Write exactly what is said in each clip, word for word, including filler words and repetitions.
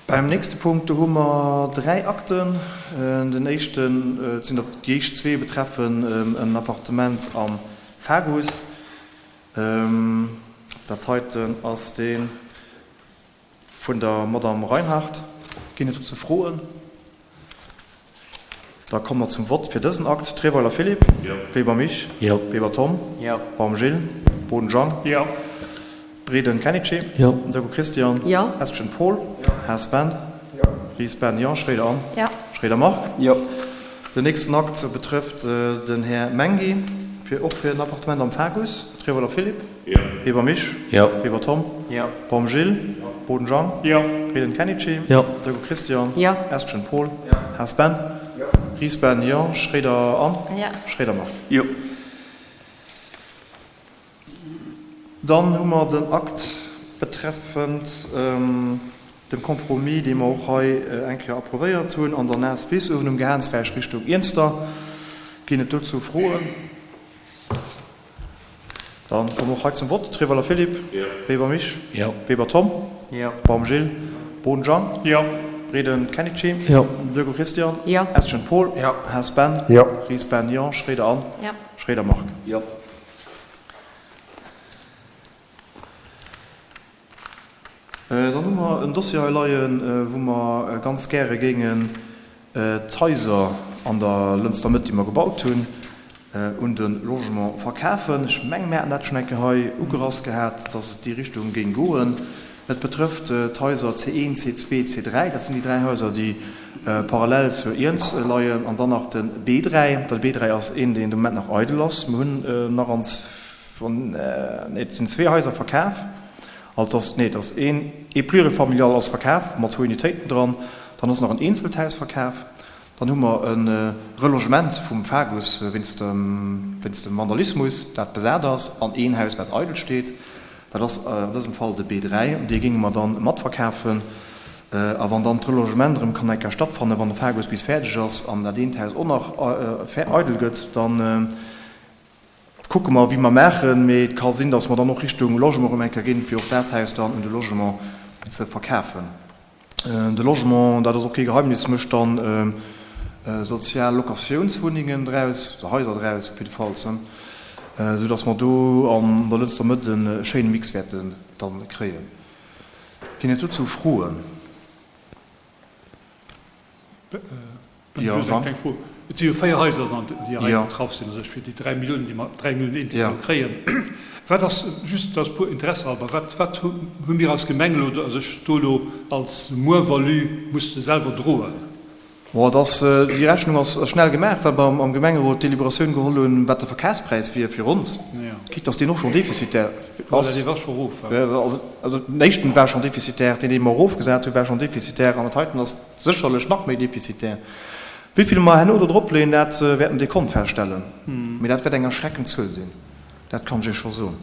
Beim nächste Punkt, do hu mer dräi Akten. Den éischten, et sinn der déi éischt zwee betreffen en Appartement am Fagus. Dat heiten ass dee vun der Madame Reinhardt. Ginn et dozou Froen? Da komme mer zum Vott fir dësen Akt. Treweiler Philippe. Weber Mich. Weber Tom. Baum Gilles. Boden Jang. Breden Kenichi. Deco Christian. Estgen Paul. Haas Ben. Ries Ben, jo. Schroeder Anne. Schroeder Marc. Den nächsten Akt betrëfft den Här Menghi, fir och fir en Appartement am Fagus. Treweiler Philippe. Weber Mich. Weber Tom. Baum Gilles. Boden Jang. Breden Kenichi. Deco Christian. Estgen Paul. Haas Ben. Ries Ben, jo. Schroeder Anne. Schroeder Marc. Dann hu mer den Akt betreffend dem Compromis, dee mer och hei eng Kéier approuvéiert hunn an der Naasswiss uewen um Gehaansräich Richtung Iernster. Ginn et dozou Froen? Da komme mer och hei zum Vott. Treweiler Philippe. Weber Mich. Weber Tom. Baum Gilles. Boden Jang. Breden Kenichi. Deco Christian. Estgen Paul. Haas Ben. Ries Ben, jo. Schroeder Anne. Schroeder Marc. Dann hu mer en Dossier hei leien, wou mer ganz gäre géingen d'Haiser an der Lënster Mëtt, déi mer gebaut hunn, un de Logement verkafen. Ech mengen, mir haten dat schonn eng Kéier hei ugerass gehat, dass et déi Richtung géing goen. Et betrëfft d'Haiser C een, C zwee, C dräi. Dat sinn déi dräi Haiser, déi parallel zur Iernz leien. An dann nach de B dräi. De B dräi ass een, deen de Moment nach eidel ass. Mir hunn nach an, nee, et sinn zwee Haiser verkaf. Also ass, nee, et ass een, ee Plurifamilial ass verkaf mat zwou Unitéiten dran. Dann ass nach en eenzelt Haus verkaf. Dann hu mer e Relogement vum Fagus wéinst dem, wéinst dem Vandalismus, dat besat ass, an een Haus, wat eidel steet. Dat ass an dësem Fall de B dräi. Dee géinge mer dann matverkafen. A wann dann d'Relogement erëm kann eng Kéier stattfannen, wann de Fagus bis fäerdeg ass an dat eent Haus och nach eidel gëtt, dann kucke mer, wéi mer maachen. Mee et ka sinn, datt mer dann och Richtung Logement erëm eng Kéier ginn, fir och dat Haus dann un de Logement ze verkafen. De Logement, dat ass och kee Geheimnis, mécht dann sozial Locatiounswunnengen draus, oder Haiser draus op jiddefalls, esou datt mer do an der Lënster Mëtt e schéine Mix wäerten dann kréien. Ginn et dozou Froen? Jo, Jean? Et si jo véier Haiser, déi hei betraff sinn, also fir déi dräi Milliounen, déi mer, dräi Milliounen eent, déi mer elo kréien. Wat ass, just aus puer Interesse halber, wat, wat hu mir als Gemeng elo do, also ech do elo als Moins-value musste selwer droen? Bon, et ass, déi Rechnung ass schnell gemaach, well mer am Gemengerot d'Deliberatioun geholl hunn, wat de Verkafspräis wier fir ons, quitte dass deen och schonn defizitär ass. Dee war scho erof. Also den éischten war schonn defizitär, deen, dee mer erofgesat hunn, war schonn defizitär an dat heiten ass sécherlech nach méi defizitär. Wéi vill mer herno do dropleeën, dat wäert den Dekont feststellen. Mee dat wäert eng erschreckend Zuel sinn, dat kann ech Iech scho soen.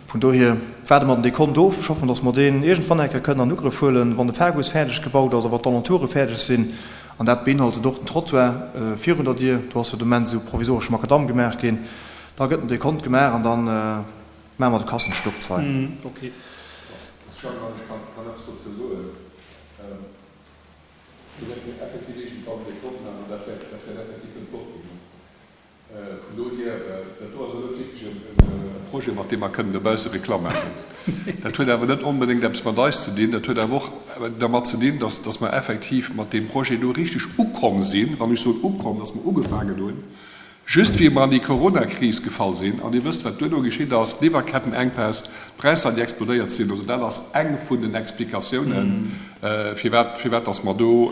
Vun dohier waarde mer den Dekont of. Ech hoffen, datt mer deen iergendwann eng Kéier kënnen an Ugrëff huelen, wann de Fagus fäerdeg gebaut ass a wann d'Alentoure fäerdeg sinn. An dat beinhaltet och den Trottoir virun der Dier. Do ass jo de Moment esou provisoresche Makadamm gemaach ginn. Da gëtt den Dekont gemaach an da maache mer de Kassensturz hei. Jean, ech kann eppes dozou soen. Do wäerte mir effektiv iergendwann dee Kont maachen an dat wäert, dat wäert effektiv net flott ginn. Vun dohier, dat do ass elo net wierklech e Projet, mat deem mer kënnen dobausse Reklamm maachen. Dat huet awer net onbedéngt eppes mat eis ze dinn. Dat huet awer och dermat ze dinn, dass, dass mer effektiv mat deem Projet do richteg ukomm sinn, wann ech soen ukomm, dass mer ugefaangen hunn, Just wéi mer an déi Coronakris gefall sinn, an Dir wësst, wat duerno geschitt ass, d'Liwwerkettenenkpäss, d'Präisser, déi explodéiert sinn, also dat ass eng vun den Explikatiounen, firwat, firwat dass mer do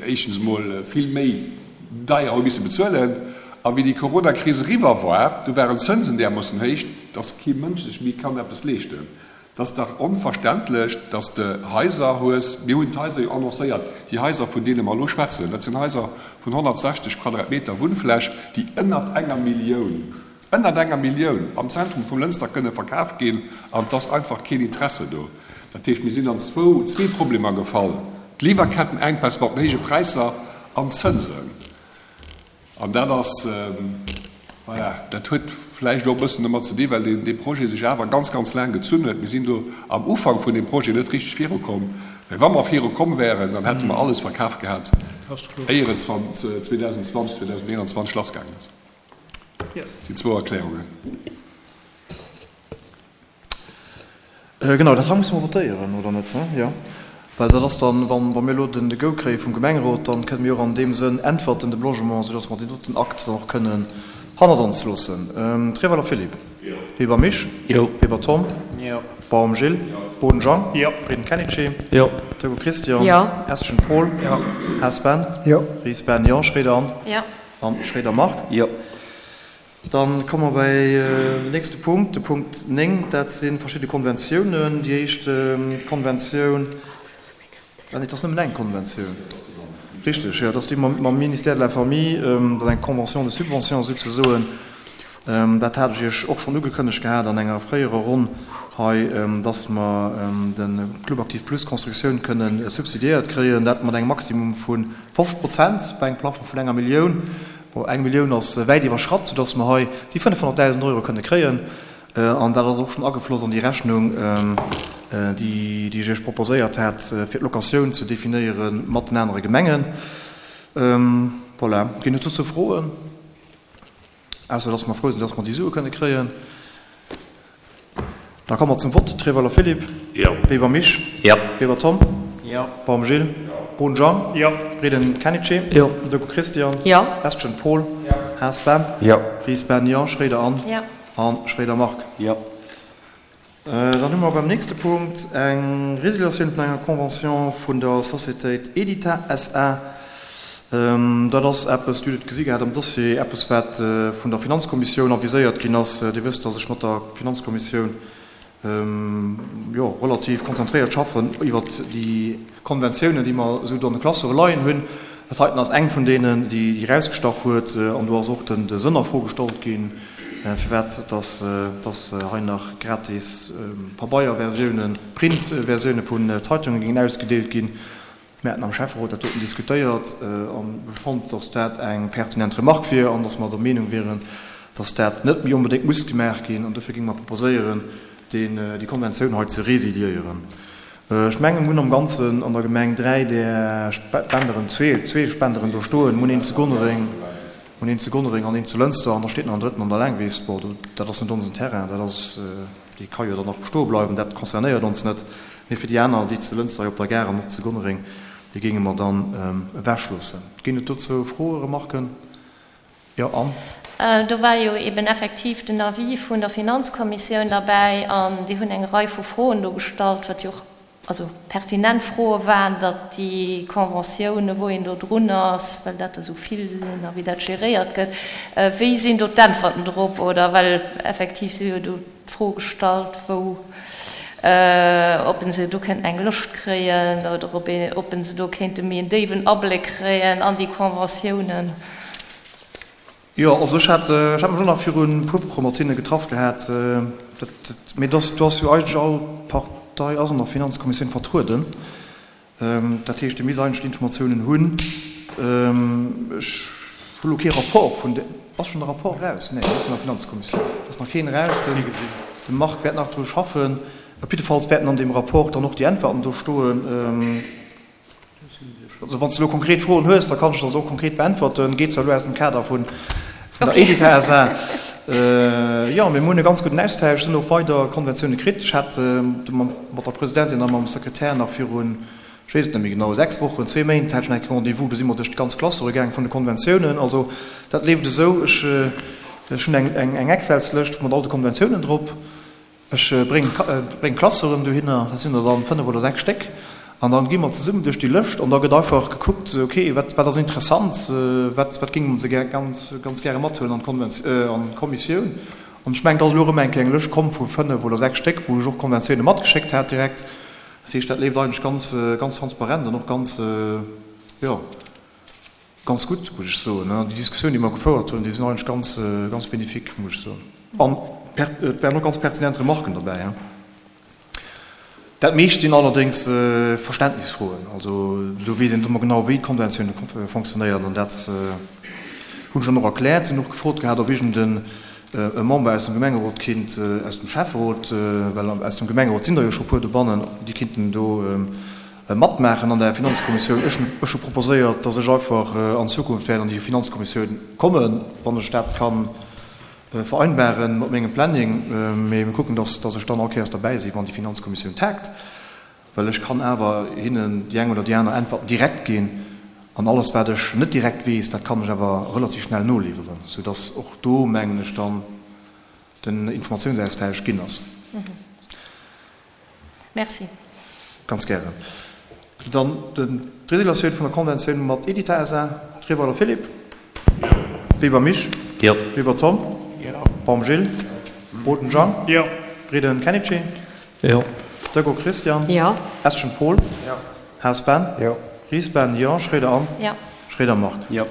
éischtens emol vill méi deier hu misse bezuelen. A wéi déi Coronakris eriwwer war, du waren d'Zënsen därmoossen héich, dass kee Mënsch sech méi kann eppes leeschten. Et ass dach onverständlech, dass de Haiser hues, mir hunn d'Haiser jo annoncéiert, déi Haiser, vun deene mer elo schwätzen, dat sinn Haiser vun honnertsechzeg Quadratmeter Wunnfläch, déi ënnert enger Millioun, ënnert enger Millioun am Zentrum vum Lënster kënne verkaf ginn, an et ass einfach keen Interesse do. Dat heescht, mir sinn an zwou, zwee Problemer gefall, d'Liwwerkettenenkpäss mat den héije Präisser an d'Zënsen. An dat ass, Voilà, dat huet vläicht och e bëssen domat ze dinn, well deen, dee Projet sech awer ganz, ganz laang gezunn huet. Mir sinn do am Ufank vun deem Projet net richteg virukomm. Mä wa mer virukomm wäeren, dann hätte mer alles verkaf gehat, éier et zweedausendzwanzeg, zweedausendeenanzwanzeg lassgaangen ass. Dat sinn zwou Erklärungen. Genau, dat hei musse mer votéieren, oder net? Jo, well dat ass dann, wa mir elo den Go kréie vum Gemengerot, dann kënne mir och an deem Sënn äntwerten dem Logement, soudass mer deen doten Akt dann och kënnen hannert ons loossen. Treweiler Philippe. Jo. Weber Misch. Jo. Weber Tom. Jo. Baum Gilles. Jo. Boden Jean. Jo. Breden Kenichi. Jo. Turko Christian. Jo. Estgen Paul. Jo. Haas Ben. Jo. Ries Ben, jo. Schroeder Anne. Jo. An Schroeder Marc. Jo. Dann komme mer bei den nächste Punkt, de Punkt néng. Dat si verschidde Konventiounen. Déi éischt Konventioun, ah nee, et ass nëmmen eng Konventioun, richteg, jo, dat ass déi mam Ministère de la Famille, dat ass eng Convention de subvention souzesoen. Dat hat ech Iech och schonn ugekënnegt gehat an enger fréierer Ronn hei, dass mer de Club Aktiv Plus Constructioun kënnen subsidiéiert kréien, dat mat engem Maximum vu fofzeg Prozent bei engem Plafond vun enger Millioun. Bon, eng Millioun ass wäit iwwerschratt, soudass mer hei déi fënnefhonnertdausend Euro kënne kréien. An dat ass och schonn agefloss an déi Rechnung, déi ech Iech proposéiert hat, fir d'Locatioun ze definéiere mat den anere Gemengen. Voilà. Ginn et dozou Froen? Ausser dass mer frou sinn, dass mer déi Sue kënne kréien. Da komme mer zum Vott. Treweiler Philippe. Jo. Weber Misch. Jo. Weber Tom. Jo. Baum Gilles. Jo. Bohn Jean. Jo. Breden Kenichi. Jo. Decaux Christian. Jo. Estgen Paul. Jo. Haas Ben. Jo. Ries Ben, jo. Schroeder Anne. Jo. An Schroeder Marc. Jo. Dann hu mer beim nächste Punkt eng Résiliatioun vun enger Convention vun der Sociétéit Edita S A Dat ass eppes, Dir hutt et gesi gehat am Dossier, eppes wat vun der Finanzkommissioun aviséiert ginn ass. Dir wësst, dass ech mat der Finanzkommissioun, jo, relativ konzentréiert schaffen iwwert déi Konventiounen, déi mer esou do an de Klassere leien hunn. Dat heiten ass eng vun deenen, déi erausgestach huet. An do ass och de Sënn a Fro gestallt ginn, firwat dass, dass hei nach gratis Pabeierversiounen, Printversioune vun Zeitunge géingen ausgedeelt ginn. Mir haten am Schäfferot dat doten diskutéiert a fonnt, dass dat eng pertinent Remarque wier an dass mer der Meenung wieren, dass dat net méi onbedéngt muss gemaach ginn. An dofir géinge mer proposéieren, déi Konventioun hei ze resiliéieren. Ech mengen, mir hunn am Ganzen an der Gemeng dräi där Spenderen, zwee, zwee Spenderen do stoen. Mir hunn een zu Gonnereng, mir hunn een zu Gonnereng an een zu Lënster an da steet nach en drëtten an der Laangwiss. Bon, dat ass net onsen Terrain, dat ass, dee ka jo dann nach bestoe bleiwen, dat concernéiert ons net. Mee fir déi aner, déi zu Lënster hei op der Gare an och zu Gonnereng, déi géinge mer dann ewechloossen. Ginn et dozou Froen, Remarken? Jo, Anne? Do war jo eben effektiv den Avis vun der Finanzkommissioun derbäi an déi hunn eng Rei vu Froen do gestallt, wat jo och also pertinent Froe waren, datt déi Conventiounen, wou een do drun ass, well dat der esou vill sinn a wéi dat geréiert gëtt, wéi sinn do d'Äntwerten drop oder well effektiv si jo do d'Fro gestallt, wou ob en se do kéinten eng Lëscht kréien oder ob een, ob en se do kéinte méi en déiwen Abléck kréien an déi Conventiounen. Jo, also ech hat, ech hat mech och nach viru puer Woche mat hinne getraff gehat. Dat, dat, mee dass, do ass jo eigentlech all Partei ass an der Finanzkommissioun vertrueden. Dat heescht, déi misst eigentlech d'Informatiounen hunn. Ech hu lo kee Rapport vun de, ass schonn e Rapport eraus? Nee, net vun der Finanzkommissioun. Et ass nach keen eraus. Den, de Marc wäert nach dru schaffen. Op jiddefalls wäerten an deem Rapport dann och déi Äntwerten do stoen. Also wann s de elo konkret Froen hues, da kann ech der se och konkret beäntwerten. Geet zwar elo aus dem Kader vun der Edita S A Jo, mee mir hunn e ganz gudden Austausch, sinn och weider Konventioune kritt. Ech hat mat der Presidentin a mam Sekretär nach virun, ech weess et net méi genau, sechs Wochen, zwee Méint hat ech nach eng Kéier Rendez-vous. Do si mer duerch déi ganz Klassere gaang vun de Konventiounen. Also dat leeft esou, ech hunn eng Excelslëscht mat all de Konventiounen drop. Ech bréngen d'Klasseren dohinner, dat sinn der dann fënnef oder sechs Stéck, an dann gi mer zesummen duerch déi Lëscht an da gëtt einfach gekuckt, ok, wat wat ass interessant, wat wat géinge mer se gär ganz ganz gäre mathuelen an d'Konvent an d'Kommissioun. An ech mengen, et ass elo erëm eng Kéier eng Lëscht komm vu fënnef oder sechs Stéck, wou ech och Konventioune matgeschéckt hat direkt. Dat heescht, dat leeft eigentlech ganz ganz transparent an och ganz, jo, ganz gutt, muss ech soen. Déi Diskussioun, déi mer gefouert hunn, déi sinn eigentlech ganz ganz bénéfique, muss ech soen. An et waren och ganz pertinent Remarken derbäi. Dat meescht sinn allerdéngs Verständnisfroen. Also do weess een net ëmmer genau, wéi d'Konventioune fonctionnéieren. An dat, Hunn ech dann och erkläert. Si hunn och gefrot gehat, ob iergend e Member aus dem Gemengerot kinnt, aus dem Schäfferot, well aus dem Gemengerot sinn der jo scho puer dobannen, déi kinnten do matmaachen an der Finanzkommissioun. Ech hunn ech hu proposéiert, dass ech einfach an Zukunft wäert an déi Finanzkommissioun kommen, wann ech dat ka vereinbaren mat mengem Planning. Mee mir kucken, dass dass ech dann all Kéiers derbäi sinn, wann déi Finanzkommissioun tagt. Well ech kann awer hinnen déi eng oder déi aner Äntwert direkt ginn, an alles wat ech net direkt weess, dat kann ech awer relativ schnell noliwweren, soudass och do, mengen ech, dann den Informatiounsaustausch ginn ass. Merci. Ganz gären. Dann d'Résiliatioun vun der Konventioun mat Edita SA. Treweiler Philippe. Jo. Weber Misch. Jo. Weber Tom. Jo. Baum Gilles. Boden Jean. Jo. Breden Kenichi. Jo. Deco Christian. Jo. Eschen Paul. Jo. Haas Ben. Jo. Ries Ben, jo. Schroeder Anne. Jo. Schroeder Marc. Jo.